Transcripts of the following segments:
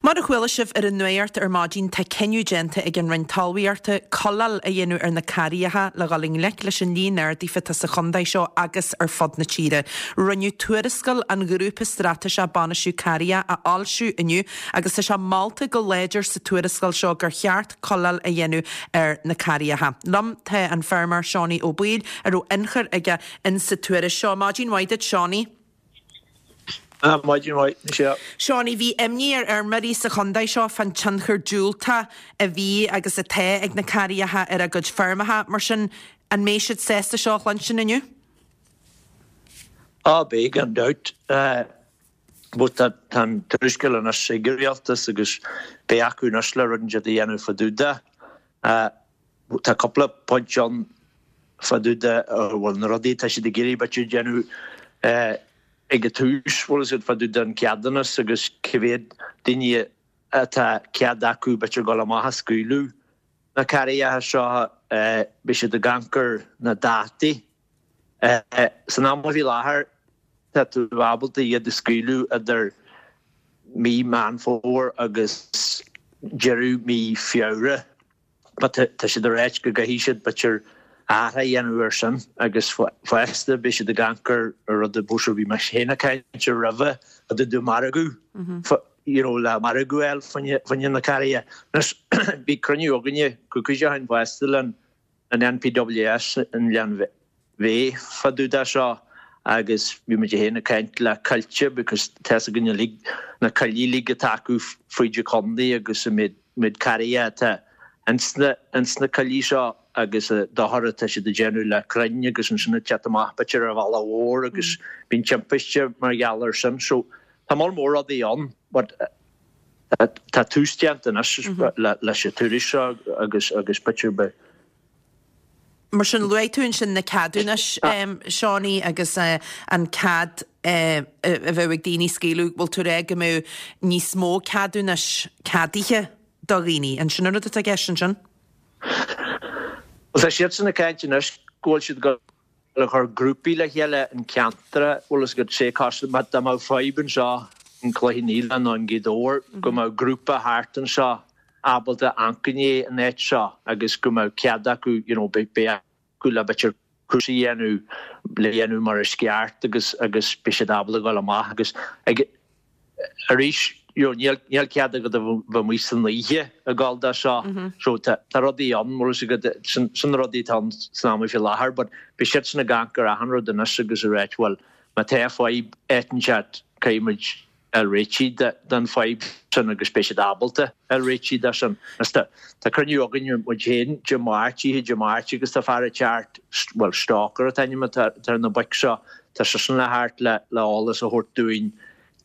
Mar a chuala sibh ar an nuacht ar maidin tá cinneadh déanta ag an Roinn Talmhaíochta cuileáil a dhéanamh ar na carraigheacha le dhul i ngleic leis an líon ardaithe atá sa chontae seo agus ar fud na tíre. Rinneadh tuarascáil an Ghrúpa Straitéiseach Bainistiú Carraigheacha a fhoilsiú inniu agus tá sé molta go láidir sa tuarascáil seo gur cheart cuileáil a dhéanamh ar na carraigheacha. Liom tá an feirmeoir Seánie Ó Baoill a raibh ionchur aige in sa tuairisc seo. Maidin mhaith duit Seánie. Maidin mhaith, Michelle. Seánie, bhí imní ar fheirmeoirí sa chontae seo fán tionchar diúltach a bhí agus atá ag na carraigheacha ar a gcuid feirmeacha. Mar sin, an mbeidh siad sásta seo a chluinstin inniu? Á, beidh, gan dabht. But tá an tuarascáil anois ag an rialtas agus beidh acu anois le rud inteacht a dhéanamh fá dtaobh de. Tá cúpla pointe ann fá dtaobh de, bhuel, na rudaí atá siad ag iarraidh b'fhéidir déanamh ag an tús, bhfuil fhios agat, fá dtaobh den ceadúnas agus cé mhéad daoine atá cead acu b'fhéidir dul amach a scaoileadh na carraigheacha seo, beidh siad ag amharc ar na dátaí. San am faoi láthair tá tú ábalta iad a scaoileadh idir mí Meán Fómhair agus deireadh mí Feabhra. But tá siad ag ráit go gcaithfidh siad b'fhéidir athrú a dhéanamh air sin agus fosta beidh siad ag amharc ar rud a b'fhéidir bhí mé féin ag caint air roimhe fá dtaobh de margadh you know le margadh a fháil fá choinne na carraighe. Anois bhí cruinniú againne coicís ó shin fosta le an NPWS i nGleann Bheatha fá dtaobh de seo agus bhí muid féin ag caint le coillte because tá's againn uilig na coillí uilig atá acu fríd an chontae agus an méid méid carraighe atá ins na ins na coillí seo agus an dochar atá siad ag déanamh le crainn agus ansin ag teacht amach b'fhéidir ar an bhealach mhór agus bíonn timpiste mar gheall air sin. So tá moll mór rudaí ann but tá tús déanta anois leis an tuairisc seo agus agus b'fhéidir beidh Mar sin, luaigh tú ansin na ceadúnais, Seánie, agus an cead a bheadh ag daoine scaoileadh, bhfuil tú ag rá go mbeadh níos mó ceadúnais ceadaithe do dhaoine? An sin an rud atá i gceist ansin? Bhuel, tá siadsan ag caint anois go bhfuil siad ag dul a chur grúpaí le chéile in ceantar, bhfuil fhios agat, sé cosúil má dá mbeadh fadhb anseo in Cloich Cheann Fhaola nó in Gaoth Dobhair go mbeadh grúpa thart anseo ábalta amharc i ndiaidh an áit seo agus go mbeadh cead acu you know beidh acu le b'fhéidir cúrsaí a dhéanamh le dhéanamh mar is ceart agus agus beidh siad ábalta dhul amach agus ag Arís, you know, níl, níl cead agat a bheith amuigh san oíche ag gabháil dó seo. So tá, tá rudaí ann, bhfuil fhios agat, sin, sin na rudaí atá ann san am faoi láthair, but beidh siadsan ag amharc ar achan rud anois agus ag ráit, bhuel, má tá fadhb áit inteacht, caithfidh muid fháil réitigh de, den fadhb sin agus beidh siad ábalta fháil réitigh de sin. Agus tá, tá cruinniú againn muid féin Dé Máirt, oíche Dé Máirt agus tá fear ag teacht, bhuel, Stalker an t-ainm atá ar na boic seo, Tá seisean le theacht le le eolas a thabhairt dúinn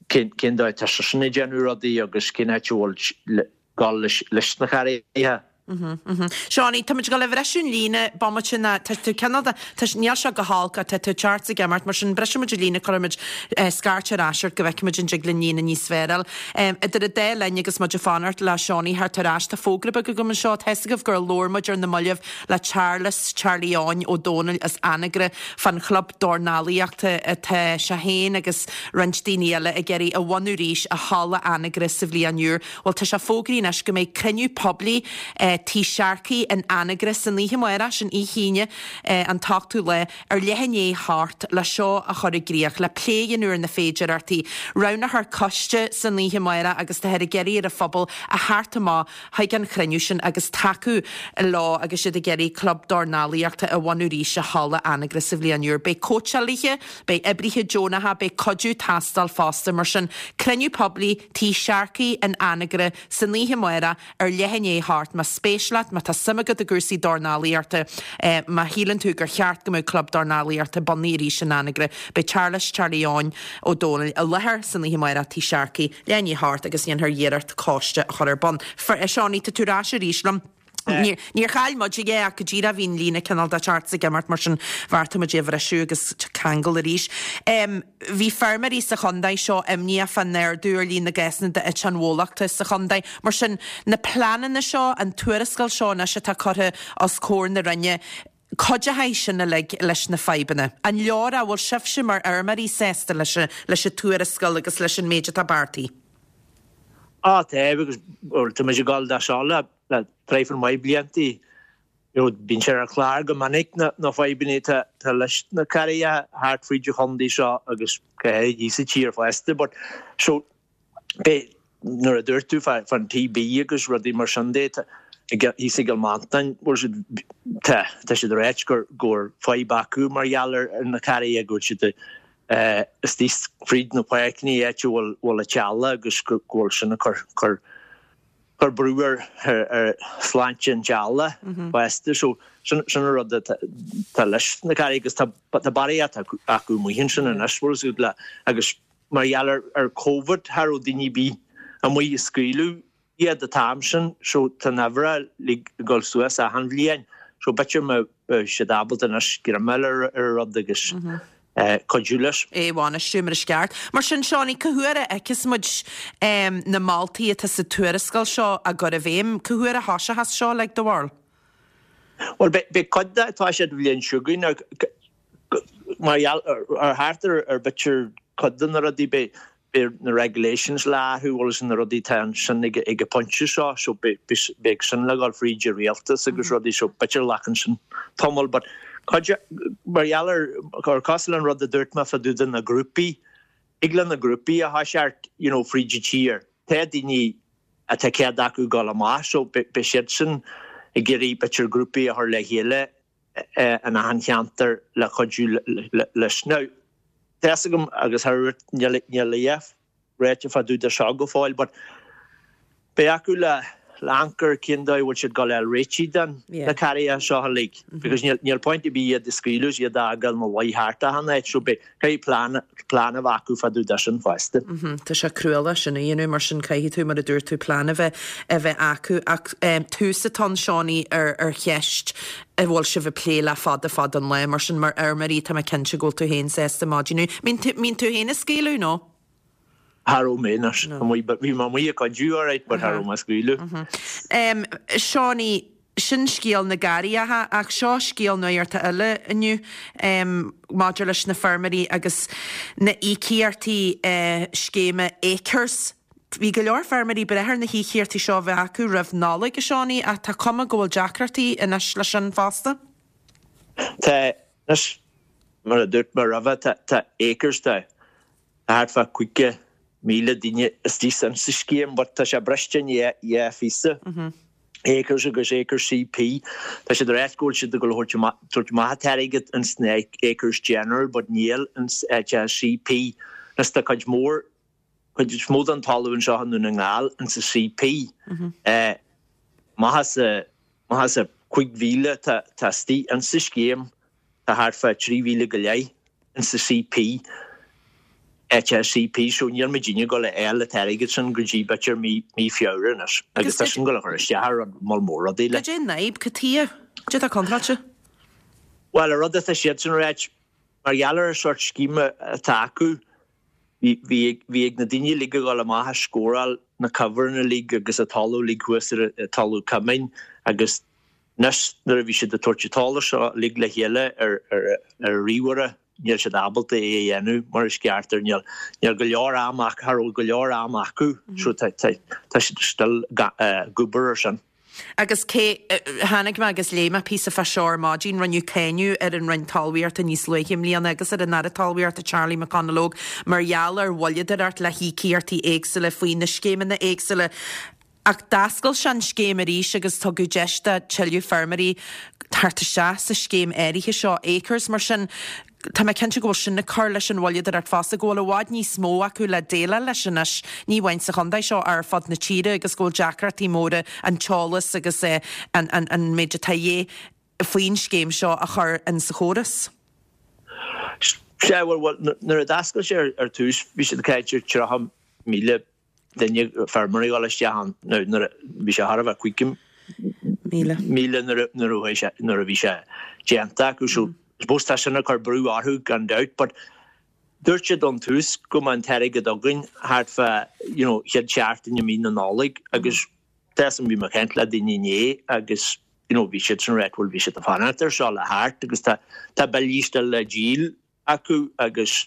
cén cén dóigh atá seisean ag déanamh rudaí agus cén áit a bhfuil le dul leis leis na carraigheacha. Seánie, tá muid ag dul a bhriseadh an líne bomaite ná tá tú cineál de tá níl sé go holc ach tá tú ag teacht is ag imeacht mar sin brisfidh muid an líne cuirfidh muid scairt ar ais ort go bhfeicfidh muid an dtig linn líne níos fearr a fháil. Idir an dá linn agus muid ag fanacht le Seánie theacht ar ais tá fógra beag agam anseo tá fhios agaibh gur labhair muid ar na mallaibh le Charles Charlie Eoin Ó Dónaill as Anagaire fán chlub dornálaíochta atá sé féin agus roinnt daoine eile ag iarraidh a bhunú arís i Halla Anagaire sa bhliain úr. Bhuel, tá sé fógraithe anois go mbeidh cruinniú poiblí Tigh Sharkey in Anagaire san oíche amárach, sin oíche Aoine an t-ochtú lá, ar leath i ndiaidh a hocht le seo a chur i gcríoch, le plé a dhéanamh ar na féidearthachtaí. Roghnófar coiste san oíche amárach agus táthar ag iarraidh ar an phobal a theacht amach chuig an chruinniú sin agus tacú leo agus iad ag iarraidh club dornálaíochta a bhunú arís i Halla Anagaire sa bhliain úr. Beidh cóitseálaithe, beidh oibrithe deonacha, beidh cuidiú ag teastáil fosta. Mar sin, cruinniú poiblí Tigh Sharkey in Anagaire san oíche amárach ar leath i ndiaidh a hocht. Más spéis leat, má tá suim agat i gcúrsaí dornálaíochta, má shíleann tú gur cheart go mbeadh club dornálaíochta bunaithe arís in Anagaire, beidh Charles Charlie Eoin Ó Dónaill i láthair san oíche amárach Tigh Sharkey. Leath i ndiaidh a hocht agus dhéanfar iarracht coiste a chur ar bun. Seánie, tá tú ar ais arís liom. Níor chaill muid é ach go díreach bhí an líne cineál de ag teacht is ag imeacht mar sin bheartaigh muid é a bhriseadh agus ceangal arís. Bhí feirmeoirí sa chontae seo imníoch fán ardú ar líon na gcásanna d'eite an bhólachta sa chontae. Mar sin, na pleananna seo, an tuarascáil seo anois atá curtha os comhair na Roinne, Cuideoidh sin uilig leis na fadhbanna. An leor é? Bhfuil sibhse mar fheirmeoirí sásta leis an tuarascáil agus leis an méid atá beartaithe? Á tá, agus tá muid ag dul de seo le traidhfil maith bliantaí. You know, bíonn sé ar an chlár go minic na na fadhbanna atá tá leis na carraigheacha thart fríd an chontae seo agus go háirid thíos sa tír fosta but so beidh nuair a dúirt tú fá fán TB agus rudaí mar sin de tá thíos i gCill Mhantáin bhfuil siad tá tá siad ag ráit gur go bhfuil fadhb acu mar gheall ar ar na carraigheacha go bhfuil siad istigh fríd na páirceanna áit a bhfuil bhfuil an t-eallach agus go go bhfuil sin ag cur cur cur brú ar ar shláinte an teaghlaigh fosta. So sin sin an rud atá tá leis na carraigheacha agus tá tá barraíocht acu acu amuigh ansin anois bhfuil fhios agat le agus mar gheall ar ar Covid cha raibh daoine ar bith amuigh ag scaoileadh iad an t-am sin so tá na huimhreacha uilig ag dul suas achan bhliain so b'fhéidir má beidh siad ábalta anois greim a fháil ar ar an rud agus cuidiú leis. é a bhainistiú mar is ceart. Mar sin, Seánie, cá huair a fheicfeas muid na moltaí atá sa tuarascáil seo á gcur i bhfeidhm? Cá huair a thoiseochas seo, like, do bharúil? Bhuel, beidh cuid de ag toiseacht an bhliain seo chugainn mar gheall ar thart ar b'fhéidir cuid de na rudaí, beidh beidh na regulations le athrú bhfuil fhios na rudaí atá ansin ag an bpointe seo so beidh sin le dhul fríd an rialtas agus rudaí so b'fhéidir glacann sin tamall but cuid mar gheall ar ar cosúil an rud a dúirt mé fá dtaobh de na grúpaí thig le na grúpaí a thoiseacht you know fríd an tír tá daoine atá cead acu dul amach so beidh siadsan ag iarraidh b'fhéidir grúpaí a chur le chéile in achan cheantar le cuidiú leis. Now, tá fhios agam agus thar níl a dhath ráite fá dtaobh de seo go fóill but beidh acu le amharc ar cén dóigh a bhfuil siad ag dul a fháil réitigh den na carraigheacha seo uilig because níl níl point ar bith iad a scaoileadh is iad a fhágáil ina luí thart achan áit so beidh caithfidh plean plean a bheith acu fá dtaobh de sin fosta. Tá sé cruálach sin a dhéanamh mar sin caithfidh tú mar a dúirt tú plean a bheith a bheith acu ach tús atá ann Seánie ar ar cheist a bhfuil sibh ag plé le fada fada an lá mar sin mar fheirmeoirí tá mé cinnte go bhfuil tú féin sásta maidin inniu. Mbíonn tú féin ag scaoileadh nó? Cha raibh mé anois amuigh but bhí mé amuigh ag cuidiú alright but cha raibh mé ag scaoileadh. Seánie, sin scéal na gcarraigeacha ach seo scéal nuachta eile inniu maidir leis na feirmeoirí agus na híocaíochtaí scéime Acres. Bhí go leor feirmeoirí ag brath ar na híocaíochtaí seo a bheith acu roimh Nollaig, a Seánie, ach tá cuma go bhfuil deacrachtaí anois leis sin fosta. Tá, anois, mar a dúirt mé roimhe, tá Acres, tá thart fá 50,000 duine istigh sa scéim but tá sé briste in dhá phíosa, Acres agus Acres CP. Tá siad ag ráit go bhfuil siad ag dul a thabhairt amach an t-airgead ins na Acres General but níl ins CP. Anois tá cuid mhór, cuid is mó den talamh anseo i nDún na nGall ins an CP. Amach as a, amach as a 5,000 tá istigh ins an scéim. Tá thart fá 3,000 go leith ins an CP, HSCP, so níl muidinne ag dul a fháil an t-airgead sin go dtí b'fhéidir mí mí Feabhra anois agus tá sin ag dul a chur isteach ar rud moll mór rudaí le. Cad é an fhadhb? Cad tuighe? Cad é atá contráilte? Bhuel, an rud atá siadsan a ráit, mar gheall ar an sórt scéime atá acu, bhí bhí bhí ag na daoine uilig a dhul amach a scóráil na covers uilig agus an talamh uilig thuas ar an talamh cumainn agus Anois nuair a bhí siad ag tabhairt an t-eolas seo uilig le chéile ar ar ríomhaire níl siad ábalta é a dhéanamh mar is ceart ar níl níl go leor am acu cha raibh go leor am acu so tá tá tá siad still ag obair ar sin. Agus cé tháinig mé agus léigh mé píosa fá seo ar maidin, rinneadh cáineadh ar an Roinn Talmhaíochta níos luaithe i mbliana agus ar an Aire Talmhaíochta Charlie McConalogue mar gheall ar mhoilleadóireacht le híocaíochtaí éagsúla faoi na scéimeanna éagsúla. Ach d'oscail sé an scéim arís agus tugadh deis do tuilleadh feirmeoirí theacht isteach sa scéim áirithe seo, Acres. Mar sin, tá mé cinnte go bhfuil sin ag cur leis an mhoilleadóireacht fosta, go bhfuil i bhfad níos mó acu le déileáil leis anois, ní amháin sa chontae seo ach ar fud na tíre agus go bhfuil deacrachtaí móra an t-eolas agus an méid atá de dhíth faoin scéim seo a chur in sa chóras. Sea, bhuel, nuair a d'oscail sé ar tús, bhí siad ag caint ar 30,000 duine, feirmeoirí a dhul isteach ann nuair a bhí sé thar a bheith 5,000 nuair a nuair a sé nuair a bhí sé déanta acu so I suppose tá sin ag cur brú orthu gan dabht but dúirt siad ón tús go mbeadh an t-airgead againn thart fá you know chéad seachtain i mí na Nollag agus tá fhios agam bhí mé ag caint le daoine inné agus you know bhí siadsan ag ráit bhuel bhí siad ag fanacht ar seo le theacht agus tá tá billí still le díol acu agus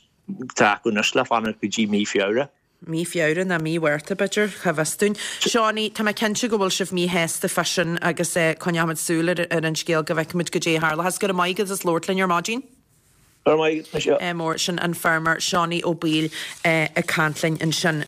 tá acu anois le fanacht go dtí mí Feabhra. Mí Feabhra nó mí Mhárta, b'fhéidir, cá bhfios dúinn. Seánie, tá mé cinnte go bhfuil sibh míshásta fá sin agus coinneochaimid súil ar an scéal go bhfeicfimid goidé a tharlóchas. Go raibh maith agat as labhairt linn ar maidin. Go raibh maith agat, Michelle. Mór, sin an feirmeoir Seánie Ó Baoill ag caint linn ansin.